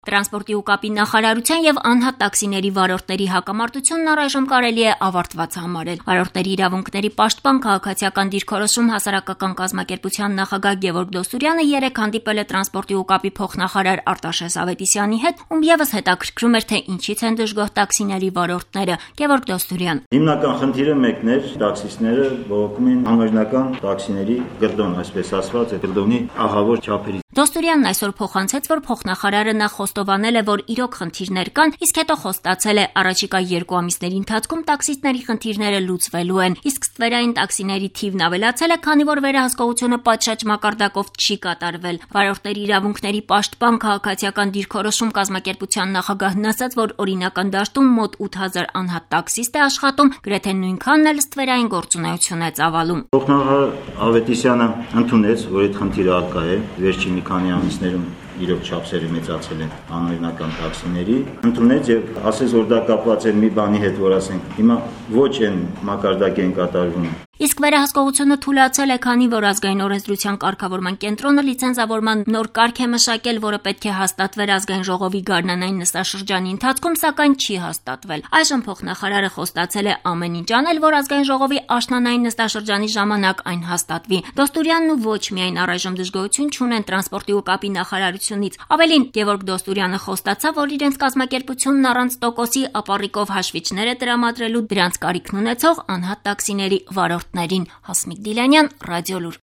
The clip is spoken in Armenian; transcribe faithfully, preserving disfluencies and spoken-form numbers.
Տրանսպորտի ու կապի նախարարության եւ անհատ տաքսիների վարորդների հակամարտությունն առայժմ կարելի է ավարտված համարել։ Վարորդների իրավունքների պաշտպան քաղաքացիական դիրքորոշում հասարակական կազմակերպության նախագահ Գևորգ Դոստուրյանը երեկ հանդիպել է տրանսպորտի ու կապի փոխնախարար Արտաշես Ավետիսյանի հետ, ում եւս հետաքրքրում էր, թե ինչից են դժգոհ տաքսիների վարորդները։ Գևորգ Դոստուրյան. Հիմնական խնդիրը մեկն էր, տաքսիստները բողոքում են անօրինական տաքսիների գռդոն, այսպես ասված, գռդոնի ահավոր չափերից։ Դոստուրյանն այսօր փոխանցեց, որ փոխնախարարը նախ խոստովանել է, որ իրոք խնդիրներ կան, իսկ հետո խոստացել է առաջիկա երկու ամիսների ընթացքում տաքսիստների խնդիրները լուծվելու են, իսկ ստվերային տաքսիների թիվն ավելացել է, քանի որ վերահսկողությունը պատշաճ մակարդակով չի կատարվել։ Վարորդների իրավունքների պաշտպան քաղաքացիական դիրքորոշում կազմակերպության նախագահն ասաց, որ օրինական դաշտում մոտ ութ հազար անհատ տաքսիստ է աշխատում, գրեթե նույնքանն էլ ստվերային գործունեություն է ծավալում։ Փոխնախարար Ավետիսյանը ընդունեց, որ այդ խնդիրը արկա է, վերջին մի քանի ամիսներում իրոք չափսերը մեծացել են անօրինական տաքսիների, ընդունեց եւ ասեց, որ դա կապված է մի բանի հետ, որ ասենք հիմա ոչ այն մակարդակի են կատարվում։ Իսկ վերահսկողությունը թույլատրել է, քանի որ ազգային օրենսդրության կարգավորման կենտրոնը լիցենզավորման նոր կարգ է մշակել, որը պետք է հաստատվեր ազգային ժողովի գարնանային նստաշրջանի ընթացքում, սակայն չի հաստատվել։ Այժմ փոխնախարարը խոստացել է ամեն ինչ անել, որ ազգային ժողովի աշնանային նստաշրջանի ժամանակ այն հաստատվի։ Դոստուրյանն ու ոչ միայն առայժմ դժգոհություն չունեն տրանսպորտի ու կապի նախարարությունից։ Ավելին, Գևորգ Դոստուրյանը խոստացավ, որ իրենց կազմակերպությունն առանց տոկոսի ապառիկով հաշվիչներ է տրամադրելու դրանց կարիքն ունեցող անհատ տաքսիների վարորդ Հասմիկ Դիլանյան, Ռադիոլուր։